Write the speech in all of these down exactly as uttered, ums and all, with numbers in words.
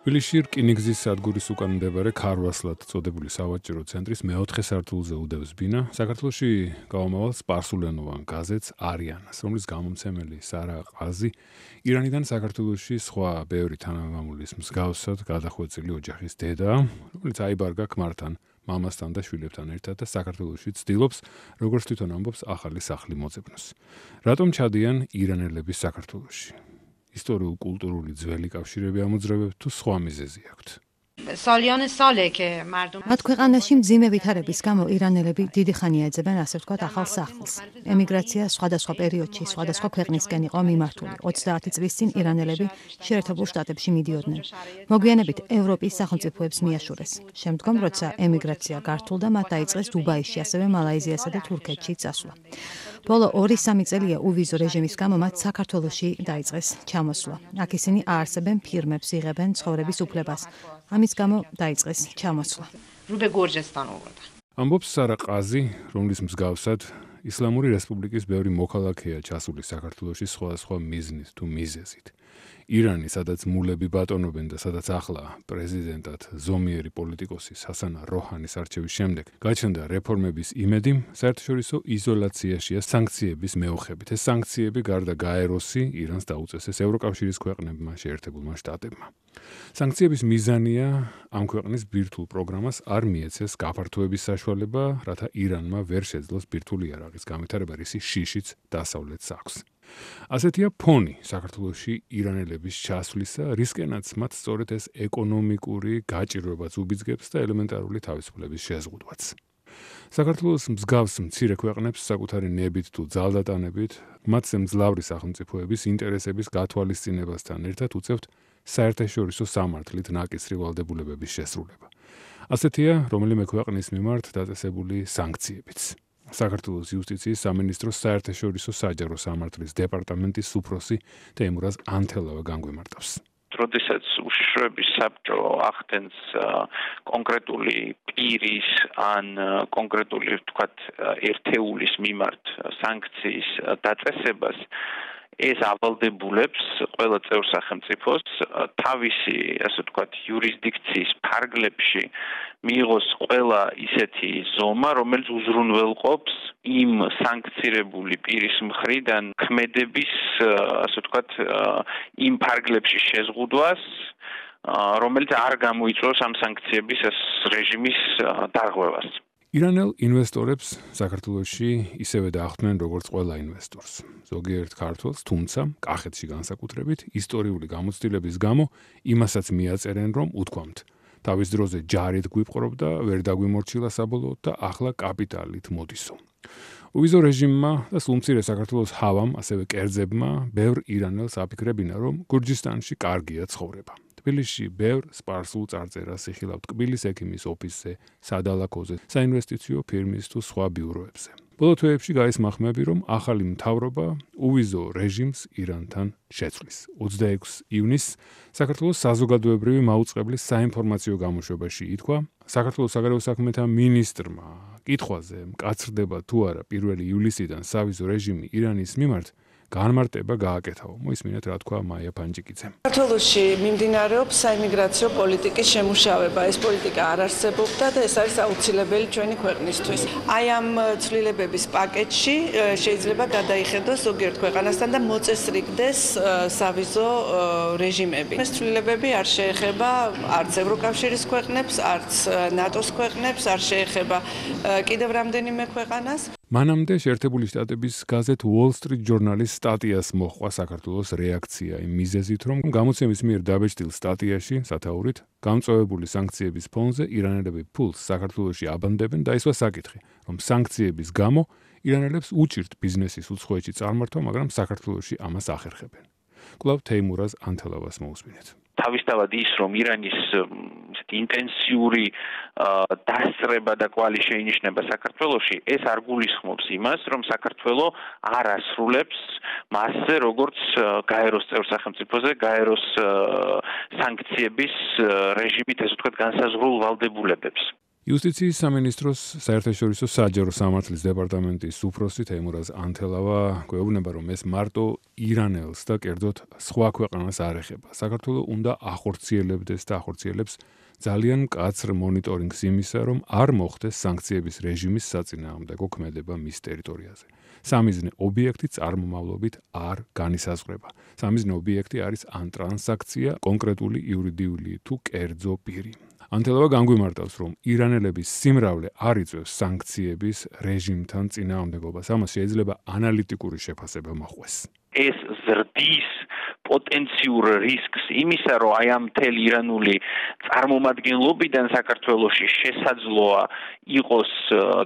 თბილისში რკინიგზის სადგურის უკან მდებარე ქარვასლად წოდებული სავაჭრო ცენტრის მეოთხე სართულზე უდევს ბინა საქართველოში გაომავალ სპარსულენოვან გაზეთს არიანას, რომლის გამომცემელი სარა ყაზი ირანიდან საქართველოში სხვა ბევრი თანამამულის მსგავსად გადახვეწილი ოჯახის დედაა, რომელიც აიბარგა ქმართან, მამასთან და შვილებთან ერთად და საქართველოში ცდილობს, როგორც თვითონ ამბობს, ახალი სახლი მოძებნოს. რატომ ჩადიან ირანელები საქართველოში? ისტორიულ-კულტურული ძველი კავშირები ამოძრავებთ თუ სხვა მიზეზი აქვთ? მათ ქვეყანაში მძიმე ვითარების გამო ირანელები დიდი ხანია ეძებენ, ასე ვთქვათ, ახალ სახლს. ემიგრაცია სხვადასხვა პერიოდში, სხვადასხვა ქვეყნისკენ იყო მიმართული. ოცდაათი წლის წინ ირანელები შეერთებულ შტატებში მიდიოდნენ. მოგვიანებით ევროპის სახელმწიფოებს მიაშურეს. შემდგომ, როცა ემიგრაცია გართულდა, მათ დაიწყეს დუბაიში, ასევე მალაიზიასა და თურქეთში წასვლა. ბოლო ორი-სამი წელია უვიზო რეჟიმის გამო მათ საქართველოში დაიწყეს ჩამოსვლა. აქ ისინი აარსებენ ფირმებს, იღებენ ცხოვრების უფლებას. ამის გამო დაიწყეს ჩამოსვლა. ამბობს სარა ყაზი, რომლის მსგავსად ისლამური რესპუბლიკის ბევრი მოქალაქეა ჩასული საქართველოში სხვადასხვა მიზნით თუ მიზეზით. ირანი, სადაც მულები ბატონობენ და სადაც ახლა პრეზიდენტად ზომიერი პოლიტიკოსი ჰასან როჰანის არჩევის შემდეგ გაჩნდა რეფორმების იმედი, საერთაშორისო იზოლაციაშია სანქციების მეოხებით. ეს სანქციები გარდა გაეროსი ირანს დაუწესეს ევროკავშირის ქვეყნებმა, შეერთებულმა შტატებმა. სანქციების მიზანია ამ ქვეყნის ბირთვულ პროგრამას არ მიეცეს გაფართოების საშუალება, რათა ირანმა ვერ შეძლოს ბირთვული იარაღის განვითარება, რისი შიშიც დასავლეთს აქვს. ასეთია ფონი საქართველოში ირანელების ჩასვლისა, რისკენაც მათ სწორედ ეს ეკონომიკური გაჭირვებაც უბიძგებს და ელემენტარული თავისუფლების შეზღუდვაც. საქართველოს მსგავს მცირე ქვეყნებს საკუთარი ნებით თუ ძალდატანებით, მათზე მძლავრი სახელმწიფოების ინტერესების გათვალისწინებასთან ერთად უწევთ საერთაშორისო სამართლით ნაკისრი ვალდებულებების შესრულება. ასეთია რომელიმე ქვეყნის მიმართ დაწესებული სანქციებიც. საქართველოს იუსტიციის სამინისტროს საერთაშორისო საჯარო სამართლის დეპარტამენტის უფროსი თეიმურაზ ანთელავა განგვიმარტავს. როდესაც უშიშროების საბჭო ახდენს კონკრეტული პირის ან კონკრეტული, ვთქვათ, ერთეულის მიმართ სანქციის დაწესებას, ეს ავალდებულებს ყველა წევრ სახელმწიფოს თავისი, ასე ვთქვათ, იურისდიქციის ფარგლებში მიიღოს ყველა ისეთი ზომა, რომელიც უზრუნველყოფს იმ სანქცირებული პირის მხრიდან ქმედების, ასე ვთქვათ, იმ ფარგლებში შეზღუდვას, რომელიც არ გამოიწვევს ამ სანქციების ეს რეჟიმის დარღვევას. ირანელ ინვესტორებს საქართველოში ისევე დაახტნენ როგორც ყველა ინვესტორს. ზოგიერთ ქართველს, თუმცა კახეთში განსაკუთრებით ისტორიული გამოცდილების გამო იმასაც მიაწერენ, რომ უთქვამთ, თავის დროზე ჯარით გვიპყრობდა, ვერ დაგვიმორჩილა საბოლოოდ და ახლა კაპიტალით მოდისო. უვიზო რეჟიმმა და სულმცირე საქართველოს ჰავამ, ასევე კერძებმა, ბევრ ირანელს აფიქრებინა, რომ გურჯისტანში კარგია ცხოვრება. თბილისში ბევრ სპარსულ წარწერას იხილავთ კბილის ექიმის ოფისზე, სადალაქოზე, საინვესტიციო ფირმის თუ სხვა ბიუროებზე. ბოლო თვეებში გაისმა ხმები, რომ ახალი მთავრობა უვიზო რეჟიმს ირანთან შეცვლის. ოცდაექვსი ივნისს საქართველოს საზოგადოებრივი მაუწყებლის საინფორმაციო გამოშვებაში ითქვა, საქართველოს საგარეო საქმეთა მინისტრმა კითხვაზე, მკაცრდება თუ არა პირველი ივლისიდან სავიზო რეჟიმი ირანის მიმართ, განმარტება გააკეთაო. მოისმინეთ რა თქვა მაია ფანჯიკიძემ. საქართველოში მიმდინარეობს საიმიგრაციო პოლიტიკის შემუშავება. ეს პოლიტიკა არ არსებობდა და ეს არის აუცილებელი ჩვენი ქვეყნისთვის. აი ამ ცვლილებების პაკეტში შეიძლება გადაიხედოს ზოგიერთ ქვეყანასთან და მოწესრიგდეს სავიზო რეჟიმები. ეს ცვლილებები არ შეეხება არც ევროკავშირის ქვეყნებს, არც ნატოს ქვეყნებს, არ შეეხება კიდევ რამდენიმე ქვეყანას. მანამდე შეერთებული შტატების გაზეთ Wall Street Journal-ის სტატიას მოჰყვა საქართველოს რეაქცია იმ მიზეზით, რომ გამოცემის მიერ დაბეჭდილ სტატიაში სათაურით გამწვავებული სანქციების ფონზე ირანელები ფულს საქართველოში აბანდებენ და ისვა საკითხი, რომ სანქციების გამო ირანელებს უჭირთ ბიზნესის უცხოეთში წარმართვა, მაგრამ საქართველოში ამას ახერხებენ. კვლავ თეიმურაზ ანთელავას მოусმინეთ. თავისთავად ის, რომ ირანის ინტენსიური დასწრება და კვალი შეინიშნება საქართველოში, ეს არ გულისხმობს იმას, რომ საქართველო არ ასრულებს მასზე, როგორც გაეროს წევრ სახელმწიფოზე, გაეროს სანქციების რეჟიმით, ესე ვთქვათ, განსაზღვრულ ვალდებულებებს. იუსტიციის სამინისტროს საერთაშორისო საჯარო სამართლის დეპარტამენტის უფროსი თეიმურაზ ანთელავა გვეუბნება, რომ ეს მარტო ირანელს და კერძოდ სხვა ქვეყანას არ ეხება. საქართველოს უნდა ახორციელებდეს და ახორციელებს ძალიან მკაცრ მონიტორინგს იმისა, რომ არ მოხდეს სანქციების რეჟიმის საწინააღმდეგო ქმედება მის ტერიტორიაზე. სამიზნე ობიექტი წარმომავლობით არ განისაზღვრება. სამიზნე ობიექტი არის ან ტრანზაქცია, კონკრეტული იურიდიული თუ კერძო პირი. ანთელავა განგვიმარტავს, რომ ირანელების სიმრავლე არ იწვევს სანქციების რეჟიმთან წინააღმდეგობას. ამას შეიძლება ანალიტიკური შეფასება მოჰყვეს. ეს ზრდის პოტენციურ რისკს იმისა, რომ აი ამ მთელი ირანული წარმომადგენლობიდან საქართველოში შესაძლოა იყოს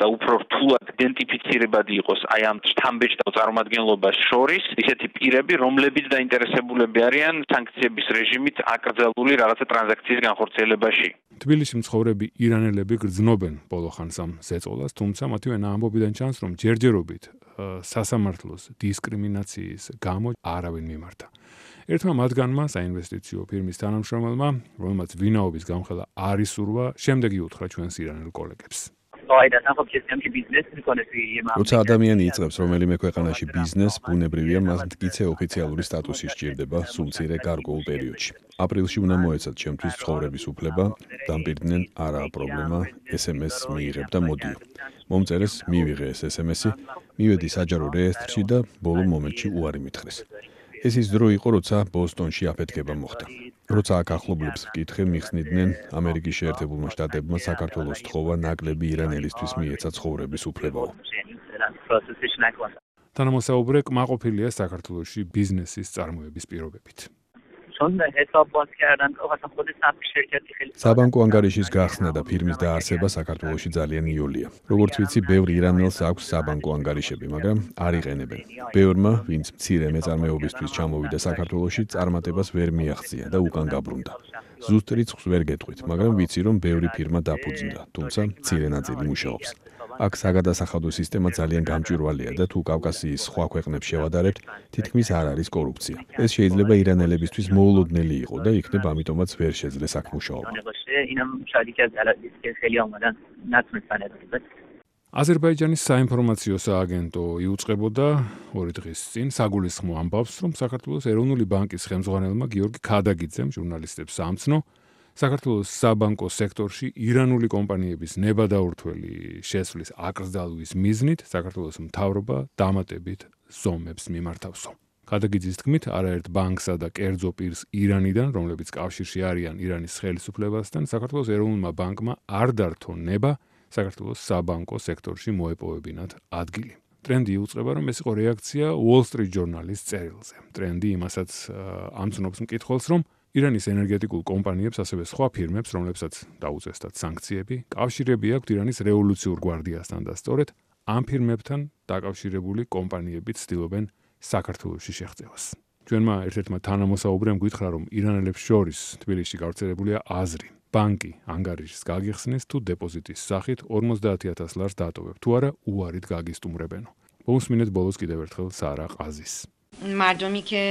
და უფრო რთულად იდენტიფიცირებადი იყოს აი ამ შთამბეჭდავ წარმომადგენლობას შორის ისეთი პირები, რომლებიც დაინტერესებულები არიან სანქციების რეჟიმით აკრძალული რაღაცა ტრანზაქციის განხორციელებაში. თბილისში მცხოვრები ირანელები გრძნობენ ბოლო ხანს ამ ზეწოლას, თუმცა მათივე ამბობიდან ჩანს, რომ ჯერჯერობით სასამართლოს დისკრიმინაციის გამო არავინ მიმართა. ერთმა მათგანმა საინვესტიციო ფირმის თანამშრომელმა, რომელმაც ვინაობის გამხელა არ ისურვა, შემდეგ იუთხრა ჩვენს ირანელ კოლეგებს. როცა ადამიანი იწყებს რომელიმე ქვეყანაში ბიზნესს, ბუნებრივია მას მტკიცე ოფიციალური სტატუსი სჭირდება სულ მცირე გარკვეულ პერიოდში. აპრილში უნდა მოეცათ ჩემთვის ცხოვრების უფლება, დამპირდნენ არაა პრობლემა, ეს ემ ეს მიიღებ და მოდიო. მომწერეს მივიღე ეს ეს ემ ესი, მივედი საჯარო რეესტრში და ბოლო მომენტში უარი მითხრეს. ეს ის დრო იყო, როცა ბოსტონში აფეთქება მოხდა. როცა აქ ახლობლებს ვკითხე, მიხსნიდნენ ამერიკის შეერთებულმა შტატებმა საქართველოს თხოვა ნაკლები ირანელისთვის მიეცა ცხოვრების უფლებაო. თანამოსაუბრე კმაყოფილია საქართველოში ბიზნესის წარმოების პირობებით. საბანკო ანგარიშის გახსნა და ფირმის დაარსება საქართველოში ძალიან იოლია. როგორც ვიცი, ბევრ ირანელს აქვს საბანკო ანგარიშები, მაგრამ არ იყენებენ. ბევრმა, ვინც მცირე მეწარმეობისთვის ჩამოვიდა საქართველოში, წარმატებას ვერ მიაღწია და უკან გაბრუნდა. ზუსტ რიცხვს ვერ გეტყვით, მაგრამ ვიცი, რომ ბევრი ფირმა დაფუძნდა, თუმცა მცირე ნაწილი მუშაობს. აქ საგადასახადო სისტემა ძალიან გამჭვირვალეა და თუ კავკასიის სხვა ქვეყნებს შევადარებთ, თითქმის არ არის კორუფცია. ეს შეიძლება ირანელებისთვის მოულოდნელი იყო და იქნებ ამიტომაც ვერ შეძლეს აქ მუშაობა. აზერბაიჯანის საინფორმაციო სააგენტო იუწყებოდა ორი დღის წინ საგულისხმო ამბავს, რომ საქართველოს ეროვნული ბანკის ხელმძღვანელმა გიორგი ქადაგიძემ ჟურნალისტებს ამცნო, საქართველოს საბანკო სექტორში ირანული კომპანიების ნებადაურთველი შესვლის აკრძალვის მიზნით საქართველოს მთავრობა დამატებით ზომებს მიმართავსო. ქადაგიძის თქმით, არაერთ ბანკსა და კერძო პირს ირანიდან, რომლებიც კავშირში არიან ირანის ხელისუფლებასთან, საქართველოს ეროვნულმა ბანკმა არ დართო ნება საქართველოს საბანკო სექტორში მოეპოვებინათ ადგილი. ტრენდი იუწყება, რომ ეს იყო რეაქცია Wall Street Journal-ის წერილზე. ტრენდი იმასაც ამცნობს მკითხველს, რომ ირანის ენერგეტიკულ კომპანიებს, ასევე სხვა ფირმებს, რომლებსაც დაუწესდათ სანქციები, კავშირები აქვთ ირანის რევოლუციურ გვარდიასთან და სწორედ ამ ფირმებთან დაკავშირებული კომპანიები ცდილობენ საქართველოში შეღწევას. ჩვენმა ერთ-ერთმა თანამოსაუბრემ გითხრა, რომ ირანელებს შორის თბილისში გავრცელებულია აზრი, ბანკი ანგარიშს გაგიხსნეს თუ დეპოზიტის სახით ორმოცდაათი ათას ლარს დატოვებ, თუ არა უარით გაგისტუმრებენო. მომსმინეთ ბოლოს კიდევ ერთხელ სარა ყაზის. მარტომი კი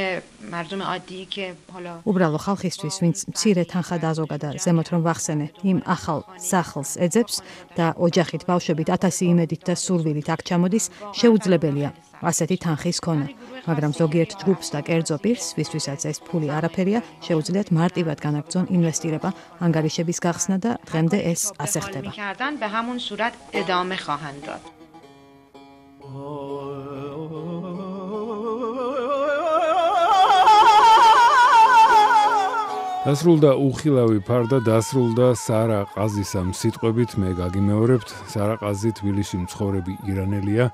მარტომი ადი კი ჰალა უბრალო ხალხისთვის, ვინც მცირე თანხა დაზოგა და ზემოთ რომ ვახსენე, იმ ახალ სახლს ეძებს და ოჯახით ბავშვებით ათასი იმედით და სურვილით აქ ჩამოდის, შეუძლებელია ასეთი თანხის ქონა. მაგრამ ზოგიერთ ჯგუფს და კერძო პირს, ვისთვისაც ეს ფული არაფერია, შეუძლიათ მარტივად განაგრძონ ინვესტირება, ანგარიშების გახსნა და დღემდე ეს ასე ხდება. به همون صورت ادامه خواهند داد. დასრულდა უხილავი ფარდა, დასრულდა სარა ყაზისამ სიტყვებით, მე გაგიმეორებთ, სარა ყაზი თბილისში მცხოვრები ირანელია,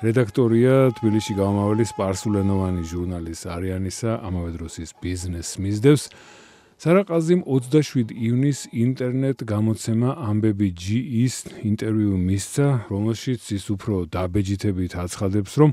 რედაქტორია თბილისში გამავალი სპარსულენოვანი ჟურნალის არიანისა, ამავე დროს ის ბიზნესს მისდევს. სარა ყაზიმ ოცდაშვიდი ივნისს ინტერნეტ გამოცემა ამბები ჯი-ის ინტერვიუ მისცა, რომელშიც ის უფრო დაბეჯითებით აცხადებს, რომ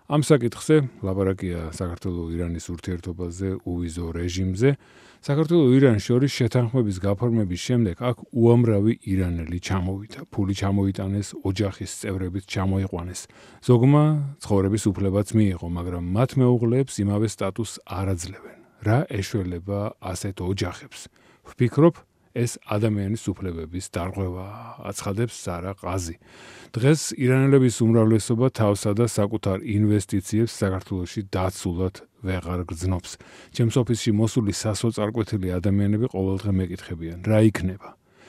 ამ საკითხზე ლაპარაკია საქართველოს-ირანის ურთიერთობაზე, უვიზო რეჟიმზე. საქართველოს-ირანის შორის შეთანხმების გაფორმების შემდეგ აქ უამრავი ირანელი ჩამოვიდა, ფული ჩამოიტანეს, ოჯახის წევრებიც ჩამოიყვანეს. ზოგმა ცხოვრების უფლებაც მიიღო, მაგრამ მათ მეუღლეებს იმავე სტატუსს არ აძლევენ. რა ეშველება ასეთ ოჯახებს? ვფიქრობ, ეს ადამიანის უფლებების დარღვევა, აცხადებს სარა ყაზი. დღეს ირანელების უმრავლესობა თავსა და საკუთარ ინვესტიციებს საქართველოში დაცულად ვეღარ გრძნობს. ჩემს ოფისში მოსული სასოწარკვეთილი ადამიანები ყოველდღე მეკითხებიან, რა იქნება?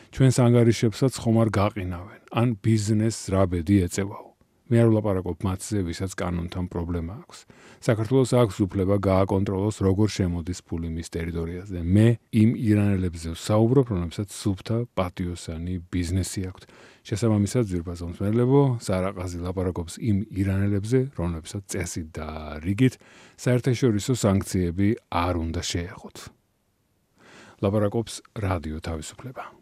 ჩვენს ანგარიშებსაც ხომ არ გაყინავენ, ან ბიზნესს რა ბედი ეწევაო. მე არ ვლაპარაკობ მათზე, ვისაც კანონთან პრობლემა აქვს. საქართველოს აქვს უფლება გააკონტროლოს, როგორ შემოდის ფული მის ტერიტორიაზე. მე იმ ირანელებზე ვსაუბრობ, რომლებსაც სუფთა პატიოსანი ბიზნესი აქვთ. შესაბამისად, ძვირფასო მსმენელებო, სარა ყაზი ლაპარაკობს იმ ირანელებზე, რომლებსაც წესით და რიგით საერთაშორისო სანქციები არ უნდა შეეხოთ. ლაპარაკობს რადიო თავისუფლება.